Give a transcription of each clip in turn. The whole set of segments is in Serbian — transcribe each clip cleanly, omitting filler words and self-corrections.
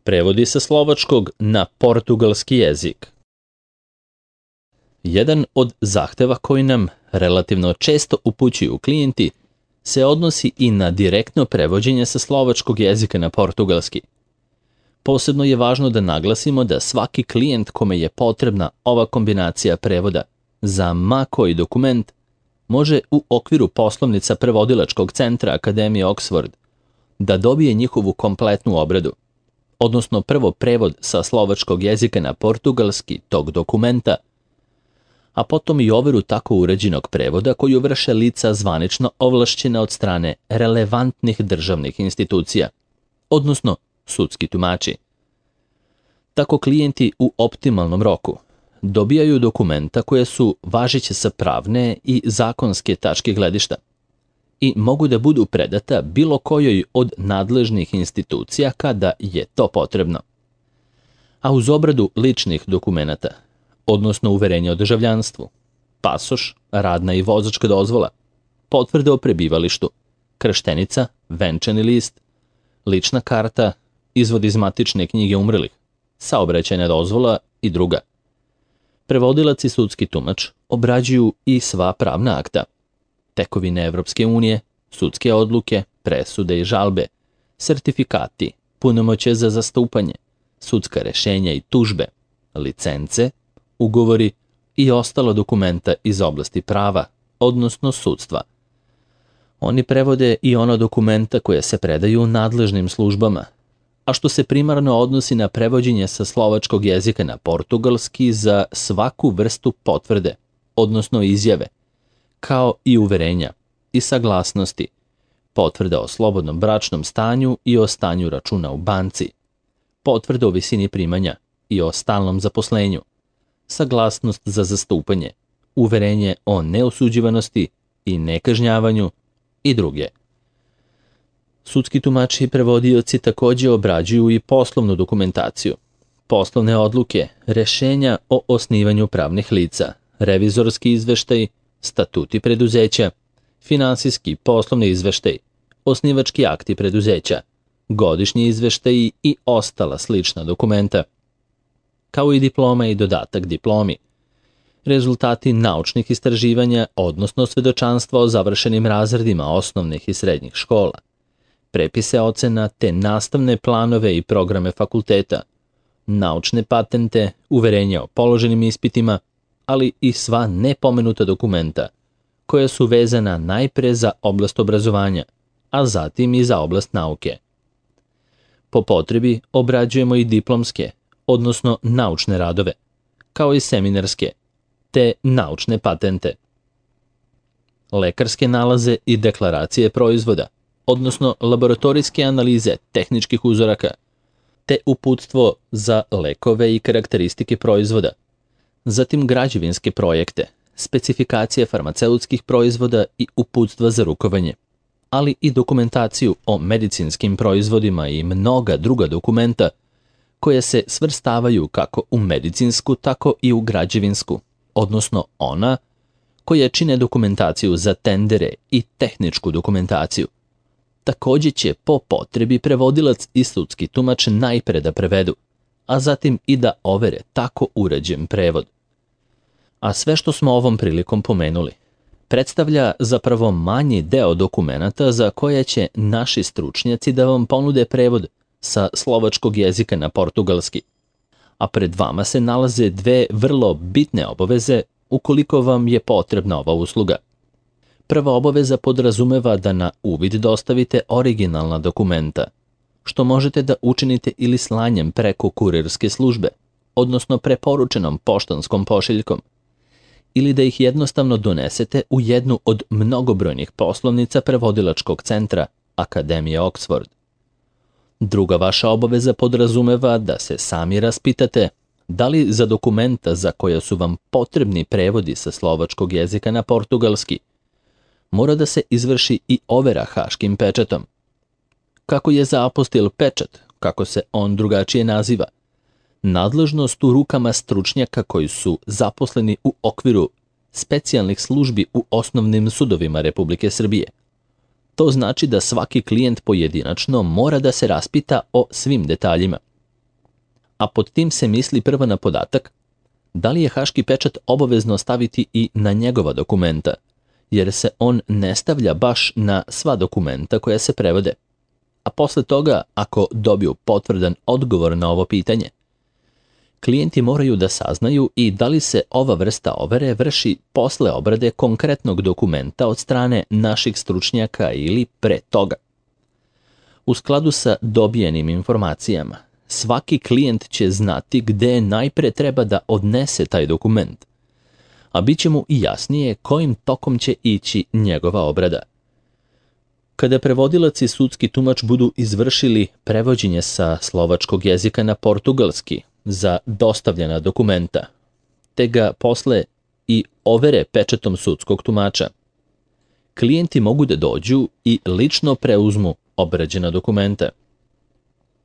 Prevodi sa slovačkog na portugalski jezik. Jedan od zahteva koji nam relativno često upućuju klijenti se odnosi i na direktno prevođenje sa slovačkog jezika na portugalski. Posebno je važno da naglasimo da svaki klijent kome je potrebna ova kombinacija prevoda za ma koji dokument može u okviru poslovnica prevodilačkog centra Akademije Oxford da dobije njihovu kompletnu obradu, odnosno prvo prevod sa slovačkog jezika na portugalski tog dokumenta, a potom i overu tako uređenog prevoda koju vrše lica zvanično ovlašćena od strane relevantnih državnih institucija, odnosno sudski tumači. Tako klijenti u optimalnom roku dobijaju dokumenta koje su važeće sa pravne i zakonske tačke gledišta i mogu da budu predata bilo kojoj od nadležnih institucija kada je to potrebno. A uz obradu ličnih dokumenata, odnosno uverenja o državljanstvu, pasoš, radna i vozačka dozvola, potvrda o prebivalištu, krštenica, venčani list, lična karta, izvod iz matične knjige umrlih, saobraćajna dozvola i druga. Prevodilac i sudski tumač obrađuju i sva pravna akta, tekovine Evropske unije, sudske odluke, presude i žalbe, sertifikati, punomoćje za zastupanje, sudska rešenja i tužbe, licence, ugovori i ostala dokumenta iz oblasti prava, odnosno sudstva. Oni prevode i ono dokumenta koje se predaju nadležnim službama, a što se primarno odnosi na prevođenje sa slovačkog jezika na portugalski za svaku vrstu potvrde, odnosno izjave, kao i uverenja i saglasnosti, potvrda o slobodnom bračnom stanju i o stanju računa u banci, potvrda o visini primanja i o stalnom zaposlenju, saglasnost za zastupanje, uverenje o neosuđivanosti i nekažnjavanju i druge. Sudski tumači i prevodioci takođe obrađuju i poslovnu dokumentaciju, poslovne odluke, rešenja o osnivanju pravnih lica, revizorski izveštaj, statuti preduzeća, finansijski poslovni izveštaj, osnivački akti preduzeća, godišnji izveštaji i ostala slična dokumenta, kao i diploma i dodatak diplomi, rezultati naučnih istraživanja, odnosno svedočanstva o završenim razredima osnovnih i srednjih škola, prepise ocena te nastavne planove i programe fakulteta, naučne patente, uverenja o položenim ispitima, ali i sva nepomenuta dokumenta, koja su vezana najpre za oblast obrazovanja, a zatim i za oblast nauke. Po potrebi obrađujemo i diplomske, odnosno naučne radove, kao i seminarske, te naučne patente. Lekarske nalaze i deklaracije proizvoda, odnosno laboratorijske analize tehničkih uzoraka, te uputstvo za lekove i karakteristike proizvoda, zatim građevinske projekte, specifikacije farmaceutskih proizvoda i uputstva za rukovanje, ali i dokumentaciju o medicinskim proizvodima i mnoga druga dokumenta koje se svrstavaju kako u medicinsku, tako i u građevinsku, odnosno ona koje čine dokumentaciju za tendere i tehničku dokumentaciju. Takođe će po potrebi prevodilac i sudski tumač najpre da prevedu, a zatim i da overe tako uređen prevod. A sve što smo ovom prilikom pomenuli predstavlja zapravo manji deo dokumenata za koje će naši stručnjaci da vam ponude prevod sa slovačkog jezika na portugalski. A pred vama se nalaze dve vrlo bitne obaveze ukoliko vam je potrebna ova usluga. Prva obaveza podrazumeva da na uvid dostavite originalna dokumenta, što možete da učinite ili slanjem preko kurirske službe, odnosno preporučenom poštanskom pošiljkom, ili da ih jednostavno donesete u jednu od mnogobrojnih poslovnica prevodilačkog centra Akademije Oxford. Druga vaša obaveza podrazumeva da se sami raspitate da li za dokumenta za koja su vam potrebni prevodi sa slovačkog jezika na portugalski mora da se izvrši i overa haškim pečatom. Kako je za apostil pečat, kako se on drugačije naziva, nadležnost u rukama stručnjaka koji su zaposleni u okviru specijalnih službi u osnovnim sudovima Republike Srbije. To znači da svaki klijent pojedinačno mora da se raspita o svim detaljima, a pod tim se misli prvo na podatak da li je haški pečat obavezno staviti i na njegova dokumenta, jer se on ne stavlja baš na sva dokumenta koja se prevode. A posle toga, ako dobiju potvrdan odgovor na ovo pitanje, klijenti moraju da saznaju i da li se ova vrsta overe vrši posle obrade konkretnog dokumenta od strane naših stručnjaka ili pre toga. U skladu sa dobijenim informacijama, svaki klijent će znati gde najpre treba da odnese taj dokument, a bit će mu i jasnije kojim tokom će ići njegova obrada. Kada prevodilac i sudski tumač budu izvršili prevođenje sa slovačkog jezika na portugalski za dostavljena dokumenta, te ga posle i overe pečatom sudskog tumača, klijenti mogu da dođu i lično preuzmu obrađena dokumenta.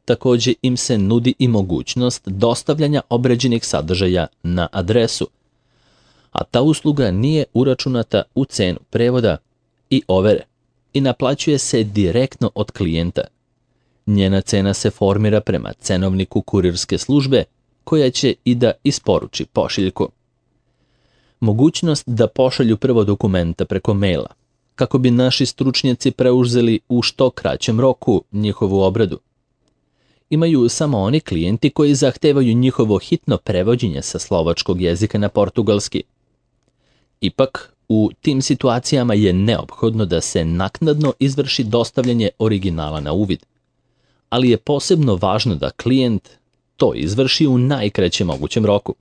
Takođe im se nudi i mogućnost dostavljanja obrađenih sadržaja na adresu, a ta usluga nije uračunata u cenu prevoda i overe i naplaćuje se direktno od klijenta. Njena cena se formira prema cenovniku kurirske službe koja će i da isporuči pošiljku. Mogućnost da pošalju prvo dokumenta preko maila, kako bi naši stručnjaci preuzeli u što kraćem roku njihovu obradu, imaju samo oni klijenti koji zahtevaju njihovo hitno prevođenje sa slovačkog jezika na portugalski. Ipak, u tim situacijama je neophodno da se naknadno izvrši dostavljanje originala na uvid, ali je posebno važno da klijent to izvrši u najkraćem mogućem roku.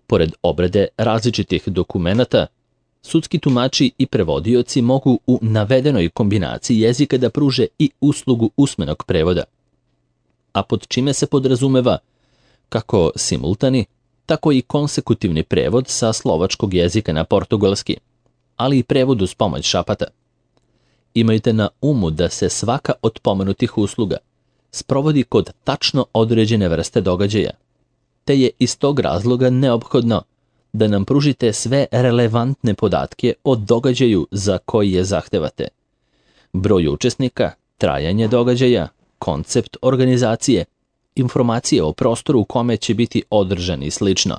Pored obrade različitih dokumenata, sudski tumači i prevodioci mogu u navedenoj kombinaciji jezika da pruže i uslugu usmenog prevoda, a pod čime se podrazumeva kako simultani, tako i konsekutivni prevod sa slovačkog jezika na portugalski, ali i prevod uz pomoć šapata. Imajte na umu da se svaka od pomenutih usluga sprovodi kod tačno određene vrste događaja, te je iz tog razloga neophodno da nam pružite sve relevantne podatke o događaju za koji je zahtevate. Broj učesnika, trajanje događaja, koncept organizacije, informacije o prostoru u kome će biti održan i slično.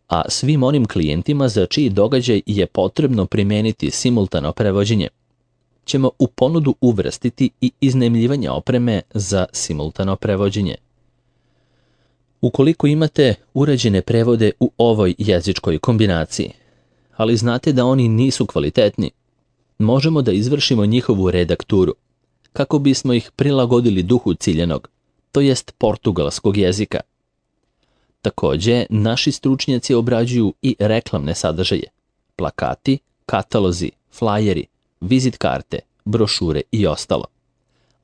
A svim onim klijentima za čiji događaj je potrebno primeniti simultano prevođenje, ćemo u ponudu uvrstiti i iznajmljivanje opreme za simultano prevođenje. Ukoliko imate urađene prevode u ovoj jezičkoj kombinaciji, ali znate da oni nisu kvalitetni, možemo da izvršimo njihovu redakturu, kako bismo ih prilagodili duhu ciljanog, to jest portugalskog jezika. Takođe, naši stručnjaci obrađuju i reklamne sadržaje, plakati, katalozi, flajeri, vizit karte, brošure i ostalo,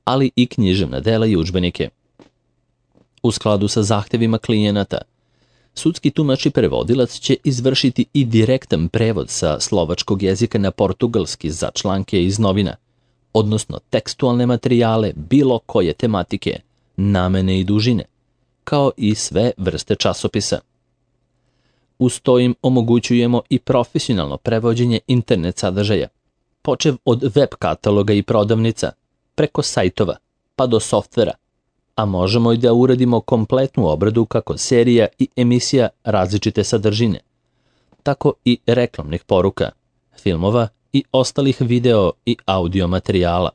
ali i književna dela i udžbenike. U skladu sa zahtevima klijenata, sudski tumač i prevodilac će izvršiti i direktan prevod sa slovačkog jezika na portugalski za članke iz novina, odnosno tekstualne materijale bilo koje tematike, namene i dužine, kao i sve vrste časopisa. Uz to im omogućujemo i profesionalno prevođenje internet sadržaja, počev od web kataloga i prodavnica, preko sajtova, pa do softvera, a možemo i da uradimo kompletnu obradu kako serija i emisija različite sadržine, tako i reklamnih poruka, filmova i ostalih video i audio materijala.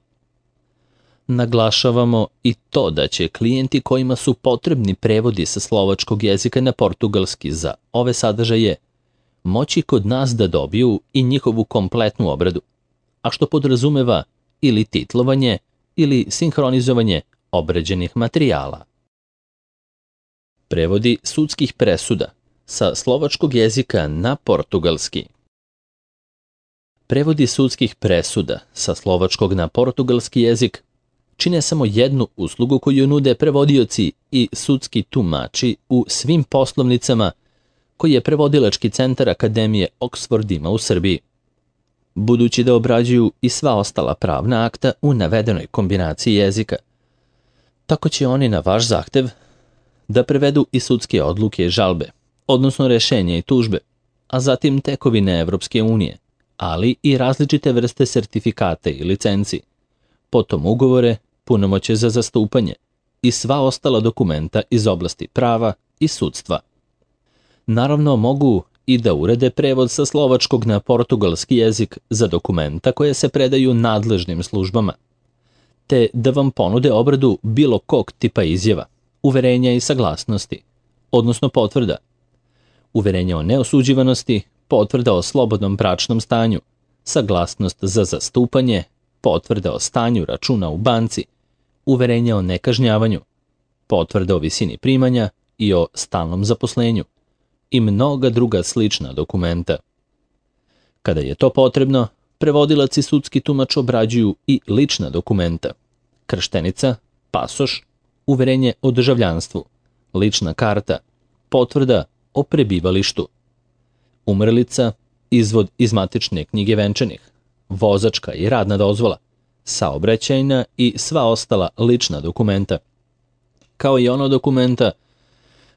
Naglašavamo i to da će klijenti kojima su potrebni prevodi sa slovačkog jezika na portugalski za ove sadržaje moći kod nas da dobiju i njihovu kompletnu obradu, a što podrazumeva ili titlovanje ili sinhronizovanje obrađenih materijala. Prevodi sudskih presuda sa slovačkog jezika na portugalski. Prevodi sudskih presuda sa slovačkog na portugalski jezik čine samo jednu uslugu koju nude prevodioci i sudski tumači u svim poslovnicama koji je prevodilački centar Akademije Oxford ima u Srbiji, budući da obrađuju i sva ostala pravna akta u navedenoj kombinaciji jezika. Tako će oni na vaš zahtev da prevedu i sudske odluke i žalbe, odnosno rešenja i tužbe, a zatim tekovine Evropske unije, ali i različite vrste sertifikata i licenci, potom ugovore, punomoćje za zastupanje, i sva ostala dokumenta iz oblasti prava i sudstva. Naravno, mogu i da urede prevod sa slovačkog na portugalski jezik za dokumenta koje se predaju nadležnim službama, te da vam ponude obradu bilo kog tipa izjava, uverenja i saglasnosti, odnosno potvrda, uverenja o neosuđivanosti, potvrda o slobodnom bračnom stanju, saglasnost za zastupanje, potvrda o stanju računa u banci, uverenja o nekažnjavanju, potvrda o visini primanja i o stalnom zaposlenju i mnoga druga slična dokumenta. Kada je to potrebno, prevodilac i sudski tumač obrađuju i lična dokumenta: krštenica, pasoš, uverenje o državljanstvu, lična karta, potvrda o prebivalištu, umrlica, izvod iz matične knjige venčanih, vozačka i radna dozvola, saobraćajna i sva ostala lična dokumenta, kao i ono dokumenta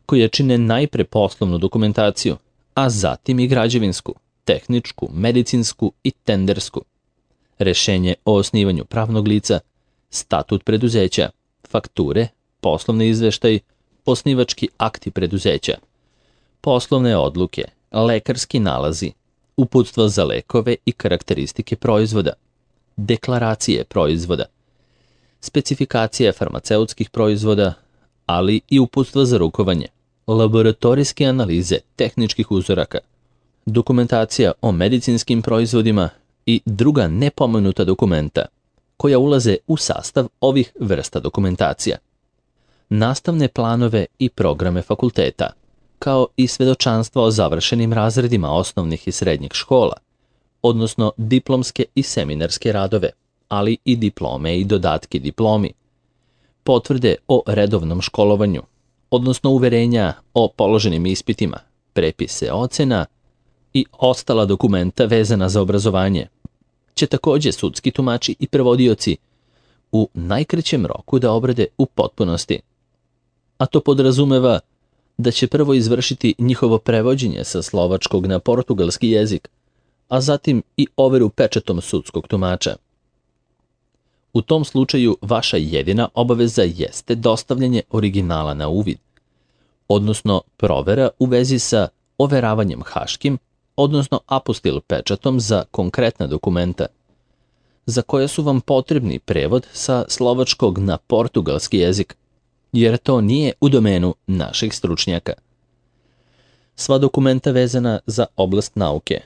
koje čine najpre poslovnu dokumentaciju, a zatim i građevinsku, tehničku, medicinsku i tendersku, rešenje o osnivanju pravnog lica, statut preduzeća, fakture, poslovni izveštaj, osnivački akti preduzeća, poslovne odluke, lekarski nalazi, uputstva za lekove i karakteristike proizvoda, deklaracije proizvoda, specifikacije farmaceutskih proizvoda, ali i uputstva za rukovanje, laboratorijske analize tehničkih uzoraka, dokumentacija o medicinskim proizvodima i druga nepomenuta dokumenta koja ulaze u sastav ovih vrsta dokumentacija, nastavne planove i programe fakulteta, kao i svedočanstva o završenim razredima osnovnih i srednjih škola, odnosno diplomske i seminarske radove, ali i diplome i dodatke diplomi, potvrde o redovnom školovanju, odnosno uverenja o položenim ispitima, prepise ocena i ostala dokumenta vezana za obrazovanje, će takođe sudski tumači i prevodioci u najkraćem roku da obrade u potpunosti. A to podrazumeva da će prvo izvršiti njihovo prevođenje sa slovačkog na portugalski jezik, a zatim i overu pečatom sudskog tumača. U tom slučaju vaša jedina obaveza jeste dostavljanje originala na uvid, odnosno provera u vezi sa overavanjem haškim, odnosno apostil pečatom za konkretna dokumenta, za koja su vam potrebni prevod sa slovačkog na portugalski jezik, jer to nije u domenu naših stručnjaka. Sva dokumenta vezana za oblast nauke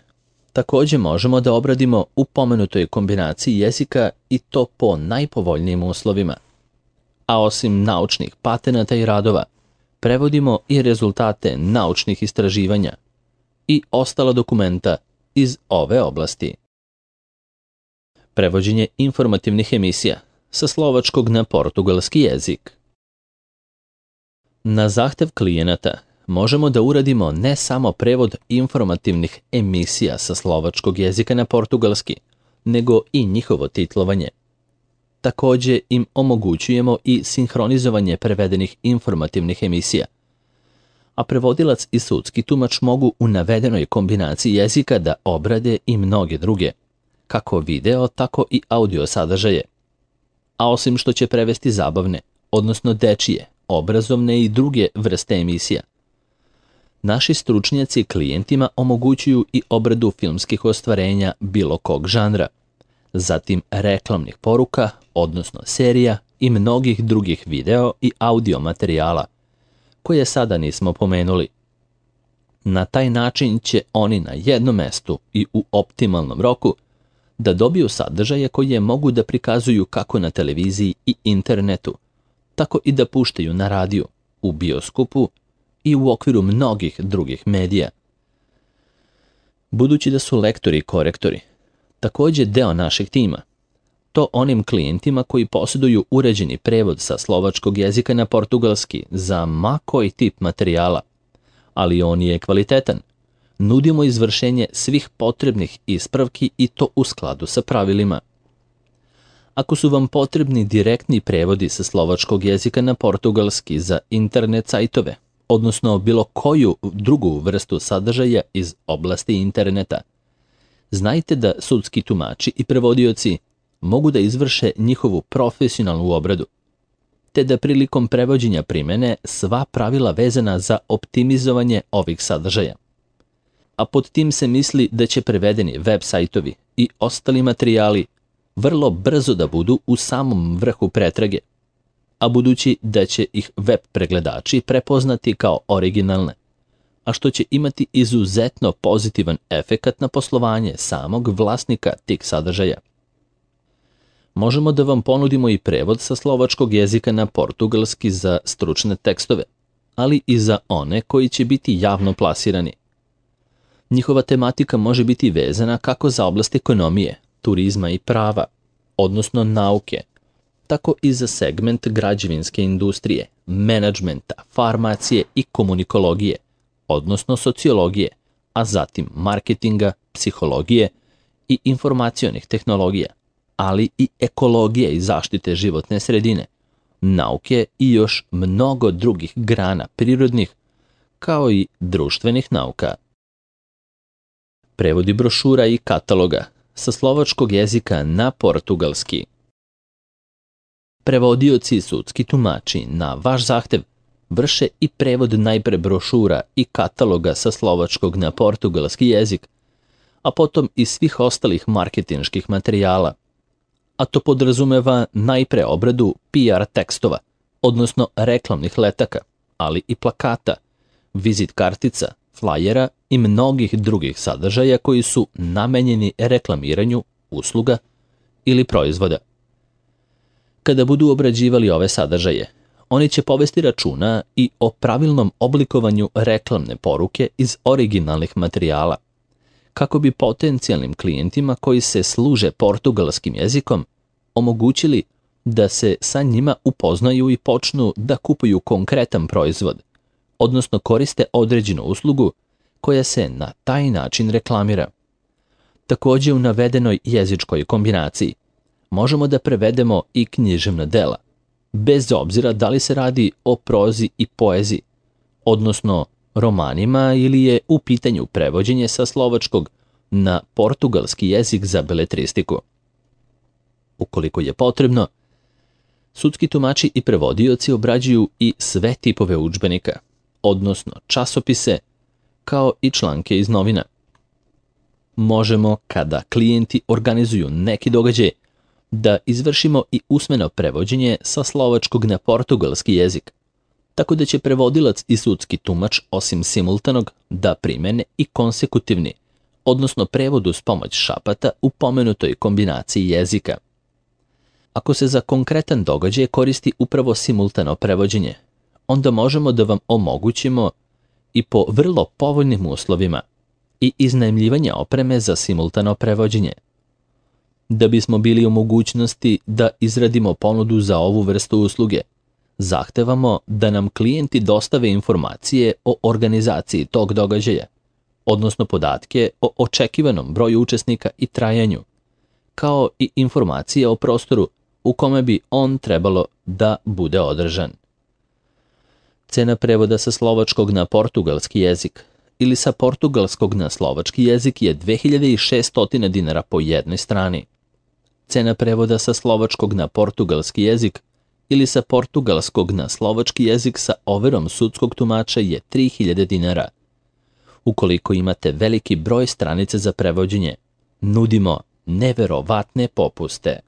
takođe možemo da obradimo u pomenutoj kombinaciji jezika i to po najpovoljnijim uslovima. A osim naučnih patenata i radova, prevodimo i rezultate naučnih istraživanja i ostala dokumenta iz ove oblasti. Prevođenje informativnih emisija sa slovačkog na portugalski jezik. Na zahtev klijenata možemo da uradimo ne samo prevod informativnih emisija sa slovačkog jezika na portugalski, nego i njihovo titlovanje. Takođe im omogućujemo i sinhronizovanje prevedenih informativnih emisija, a prevodilac i sudski tumač mogu u navedenoj kombinaciji jezika da obrade i mnoge druge, kako video, tako i audio sadržaje. A osim što će prevesti zabavne, odnosno dečije, obrazovne i druge vrste emisija, naši stručnjaci klijentima omogućuju i obradu filmskih ostvarenja bilo kog žanra, zatim reklamnih poruka, odnosno serija i mnogih drugih video i audio materijala, koje sada nismo pomenuli. Na taj način će oni na jednom mestu i u optimalnom roku da dobiju sadržaje koje mogu da prikazuju kako na televiziji i internetu, tako i da puštaju na radiju, u bioskopu i u okviru mnogih drugih medija. Budući da su lektori i korektori takođe deo našeg tima, to onim klijentima koji posjeduju uređeni prevod sa slovačkog jezika na portugalski za ma koji tip materijala, ali on je kvalitetan, nudimo izvršenje svih potrebnih ispravki i to u skladu sa pravilima. Ako su vam potrebni direktni prevodi sa slovačkog jezika na portugalski za internet sajtove, odnosno bilo koju drugu vrstu sadržaja iz oblasti interneta, znajte da sudski tumači i prevodioci mogu da izvrše njihovu profesionalnu obradu, te da prilikom prevođenja primene sva pravila vezana za optimizovanje ovih sadržaja. A pod tim se misli da će prevedeni web sajtovi i ostali materijali vrlo brzo da budu u samom vrhu pretrage, a budući da će ih web pregledači prepoznati kao originalne, a što će imati izuzetno pozitivan efekat na poslovanje samog vlasnika tih sadržaja. Možemo da vam ponudimo i prevod sa slovačkog jezika na portugalski za stručne tekstove, ali i za one koji će biti javno plasirani. Njihova tematika može biti vezana kako za oblast ekonomije, turizma i prava, odnosno nauke, tako i za segment građevinske industrije, menadžmenta, farmacije i komunikologije, odnosno sociologije, a zatim marketinga, psihologije i informacionih tehnologija, ali i ekologije i zaštite životne sredine, nauke i još mnogo drugih grana prirodnih, kao i društvenih nauka. Prevodi brošura i kataloga sa slovačkog jezika na portugalski. Prevodioci i sudski tumači na vaš zahtev vrše i prevod najpre brošura i kataloga sa slovačkog na portugalski jezik, a potom i svih ostalih marketinških materijala, a to podrazumeva najpre obradu PR tekstova, odnosno reklamnih letaka, ali i plakata, vizit kartica, flajera i mnogih drugih sadržaja koji su namenjeni reklamiranju usluga ili proizvoda. Kada budu obrađivali ove sadržaje, oni će povesti računa i o pravilnom oblikovanju reklamne poruke iz originalnih materijala, kako bi potencijalnim klijentima koji se služe portugalskim jezikom omogućili da se sa njima upoznaju i počnu da kupuju konkretan proizvod, odnosno koriste određenu uslugu koja se na taj način reklamira. Također u navedenoj jezičkoj kombinaciji možemo da prevedemo i književna dela, bez obzira da li se radi o prozi i poeziji, odnosno romanima ili je u pitanju prevođenje sa slovačkog na portugalski jezik za beletristiku. Ukoliko je potrebno, sudski tumači i prevodioci obrađuju i sve tipove udžbenika, odnosno časopise, kao i članke iz novina. Možemo, kada klijenti organizuju neki događaj, da izvršimo i usmeno prevođenje sa slovačkog na portugalski jezik, tako da će prevodilac i sudski tumač osim simultanog da primene i konsekutivni, odnosno prevod uz pomoć šapata u pomenutoj kombinaciji jezika. Ako se za konkretan događaj koristi upravo simultano prevođenje, onda možemo da vam omogućimo i po vrlo povoljnim uslovima i iznajmljivanje opreme za simultano prevođenje. Da bismo bili u mogućnosti da izradimo ponudu za ovu vrstu usluge, zahtevamo da nam klijenti dostave informacije o organizaciji tog događaja, odnosno podatke o očekivanom broju učesnika i trajanju, kao i informacije o prostoru u kome bi on trebalo da bude održan. Cena prevoda sa slovačkog na portugalski jezik ili sa portugalskog na slovački jezik je 2600 dinara po jednoj strani. Cena prevoda sa slovačkog na portugalski jezik ili sa portugalskog na slovački jezik sa overom sudskog tumača je 3000 dinara. Ukoliko imate veliki broj stranica za prevođenje, nudimo neverovatne popuste.